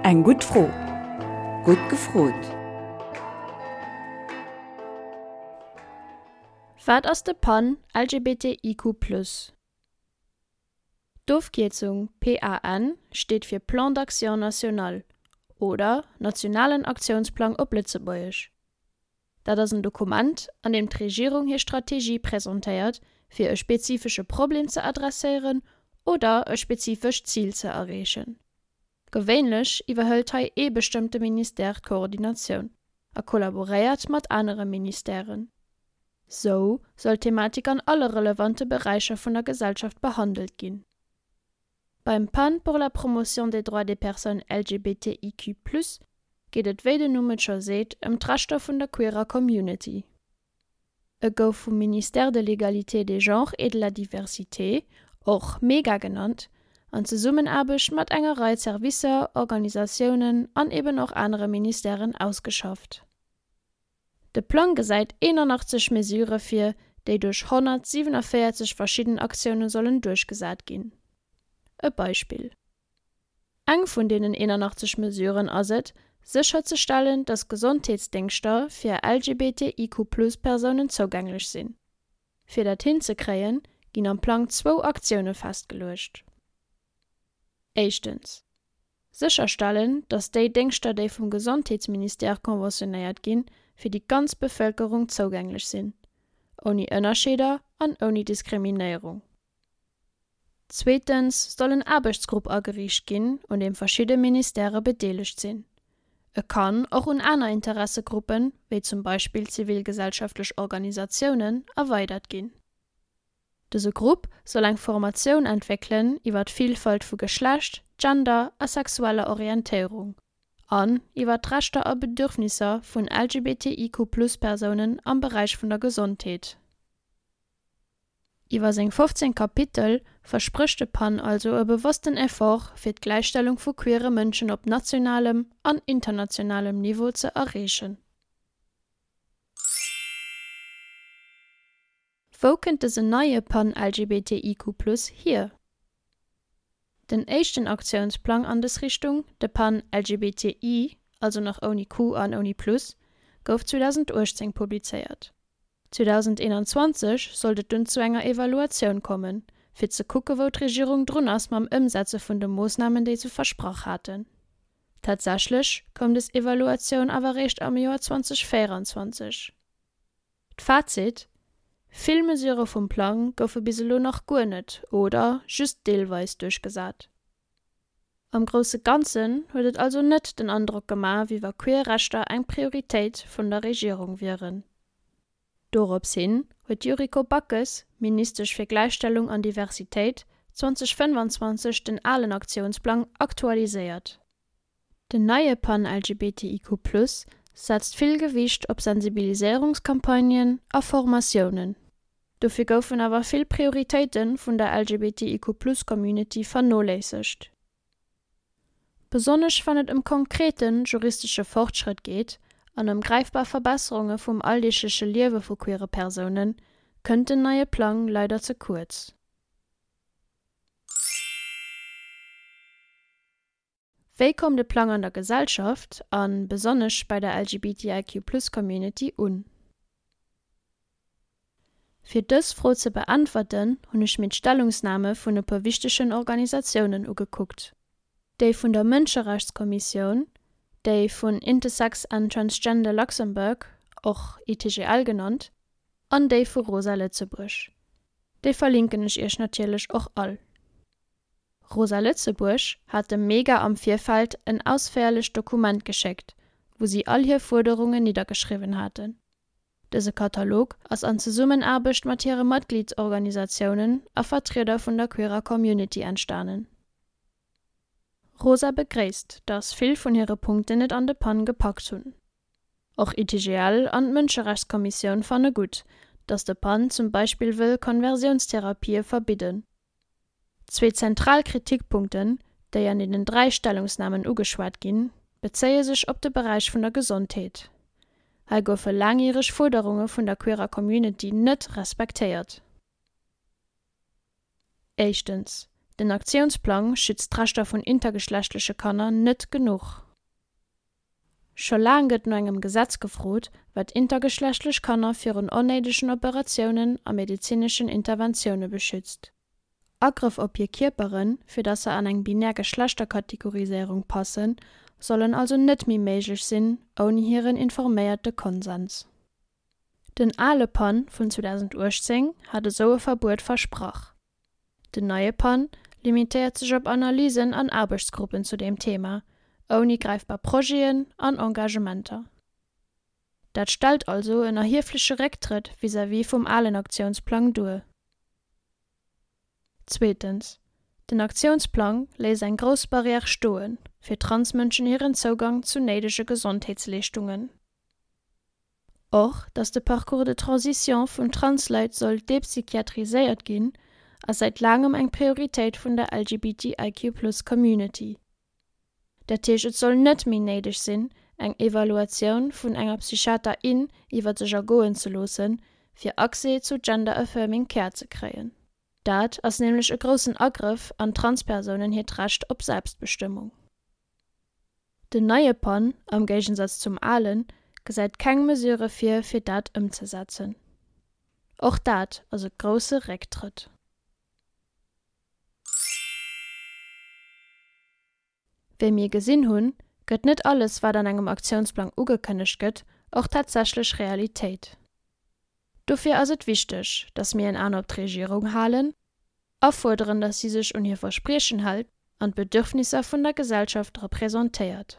Eng gutt Fro. Gutt gefrot! Wat ass de pan LGBTIQ+? D'Ofkierzung PAN steet fir Plan d'action national oder Nationalen Aktiounsplang op Lëtzebuergesch. Dat ass en Dokument, an deem d'Regierung hir Strategie presentéiert, fir e spezifesche Problem ze adresséieren oder e spezifescht Zil ze erreechen. Gewéinlech iwwerhëlt hei ee bestëmmte Ministère d'Koordinatioun a kollaboréiert mat anere Ministèren. Sou soll d'Thematik an alle relevante Beräicher vun der Gesellschaft behandelt ginn. Beim PAN pour la promotion des droits des personnes LGBTIQ+ geet et wéi den Numm et scho seet ëm d'Rechter vun der queerer Community. E gouf vum Ministère de l'Égalité des genres et de la diversité, och MEGA genannt, an Zesummenaarbecht mat enger Rei Servicer, Organisatiounen an eben och anere Ministèren ausgeschafft. De Plang gesäit 81 Mesurë vir, déi duerch 147 verschidden Aktioune sollen duerchgesat ginn. E Beispill, Eng vun deenen 81 Mesuren ass et, sécherzestellen, datt Gesondheetsdéngschter fir LGBTIQ-Plus-Persounen zougänglech sinn. Fir dat hinzekréien, ginn am Plang zwou Aktioune festgeluecht. Éischtens, sécherstellen, datt déi Déngschter, déi vum Gesondheetsministère conventionnéiert ginn, fir déi ganz Bevëlkerung zougänglech sinn, ouni Ënnerscheeder an ouni Diskriminéierung. Zweetens soll en Aarbechtsgrupp ageriicht ginn, un deem verschidde Ministèrë bedeelegt sinn. E kann och un aner Interessegruppen, wéi zum Beispill zivilgesellschaftlech Organisatiounen, erweidert ginn. Dëse Grupp soll eng Formatioun entwéckelen iwwer d'Villfalt vu Geschlecht, Gender a sexueller Orientéierung an iwwer d'Rechter a Bedürfnisser vun LGBTIQ-Plus-Persounen am Beräich vun der Gesondheet. Iwwer seng 15 Kapitel versprécht de pan also e bewossten Effort fir d'Gläichstellung vu queere Mënschen op nationalem an internationalem Niveau ze erreechen. Wou kënnt dësen neie pan LGBTIQ+ hier? Den éischten Aktiounsplang an dës Richtung, de pan LGBTI, also nach ouni Q an ouni Plus, gouf 2018 publizéiert. 2021 sollt et dunn zu enger Evaluatioun kommen, fir ze kucke wou d'Regierung drun ass mam Ëmsetze vun de Moossnamen déi se versprach haten. Tatsächlech koum des Evaluatioun awer réischt am Joer 2024. D'Fazit, Vill Mesurë vum Plang goufe bis elo nach guer net oder just deelweis duerchgesat. Am grousse Ganzen huet et also net den Androck gemaach, wéi wa queer Rechter eng Prioritéit vun der Regierung wieren. Dorops hin huet d'Yuriko Backes, Ministesch fir Gläichstellung an Diversitéit, 2025 den alen Aktiounsplang aktualiséiert. Den neie Pan-LGBTIQ+ setzt vill Gewiicht op Sensibiliséierungscampagnen a Formatiounen. Dofir goufen awer vill Prioritéite vun der LGBTIQ+-Community vernoléissegt. Besonnesch wann et ëm konkrete juristesche Fortschrëtt geet an ëm gräifbar Verbesserunge vum alldeegleche Liewe vu queere Persounen, kënnt den neie Plang leider ze kuerz. Wéi koum de Plang an der Gesellschaft, a besonnesch bei der LGBTIQ-Plus-Community un? Fir dës Fro ze beäntwerten, hunn ech mir d'Stellungsname vun e puer wichtegen Organisatiounen ugekuckt, déi vun der Mënscherechtskommissioun, déi vun Intersex and Transgender Luxembourg, och ITGL genannt, an déi vu Rosa Lëtzebuerg. Déi verlinken ech iech natierlech och all. Rosa Lëtzebuerg hat dem Mega am Virfeld en ausféierlecht Dokument geschéckt, wou si all hir Fuerderungen niddergeschriwwen haten. Dëse Katalog ass an Zesummenaarbecht mat hire Matgliedsorganisatiounen a Vertrieder vun der queerer Community entstanen. Rosa begréisst, dass vill vun hire Punkten et an de Pan gepackt hunn. Och ITGL an d'Mënscherechtskommissioun fanne gutt, dass de Pan zum Beispill wëll Konversiounstherapie verbidden. Zwee zentral Kritikpunkten, déi an deenen 3 Stellungsnamen ugeschwat ginn, bezéie sech op de Beräich vun der Gesondheet. Hei goufe laangjäreg Fuerderunge vun der queerer Community net respektéiert. Éischtens, Den Aktiounsplang schützt d'Rechter vun intergeschlechtleche Kanner net genuch. Scho laang gëtt no engem Gesetz gefrot, wat intergeschlechtlech Kanner virun onnéidegen Operatiounen a medezineschen Interventioune beschützt. Agrëff op hir Kierperen, fir datt se an eng binär Geschlechterkategoriséierung passen, sollen also net méi méiglech sinn ouni hiren informéierte Konsens. Den ale PAN vun 2018 hat esou e Verbuet versprach. Den neie PAN limitéiert sech op Analysen an Aarbechtsgruppen zu deem Thema, ouni gräifbar Projeten an Engagementer. Dat stellt also en erhiefleche Récktrëtt vis-à-vis vum alen Aktiounsplang duer. Zweetens, den Aktiounsplang léisst eng grouss Barrière stoe fir Transmënschen hiren Zougang zu néidege Gesondheetsleeschtungen. Och, datt de Parcours de transition vun Transleit soll depsychiatriséiert ginn, ass säit laangem eng Prioritéit vun der LGBTIQ+ Community. Dat heescht, et soll net méi néideg sinn, eng Evaluatioun vun enger Psychiater in iwwer sech ergoen ze loossen, fir Accès zu Gender-Affirming Care ze kréien. Dat ass nämlech e groussen Agrëff an Transpersounen hiert Recht op Selbstbestëmmung. Den neie PAN, am Géigensaz zum alen, gesäit keng Mesure vir, fir dat ëmzesetzen. Och dat ass e grousse Récktrëtt. Wéi mir gesinn hunn, gëtt net alles, wat an engem Aktiounsplang ugekënnegt gëtt, och tatsächlech Realitéit. Dofir ass et wichteg, datt mir en An op d'Regierung halen a fuerderen, datt si sech un hir Verspriechen hält an d'Bedürfnisser vun der Gesellschaft representéiert.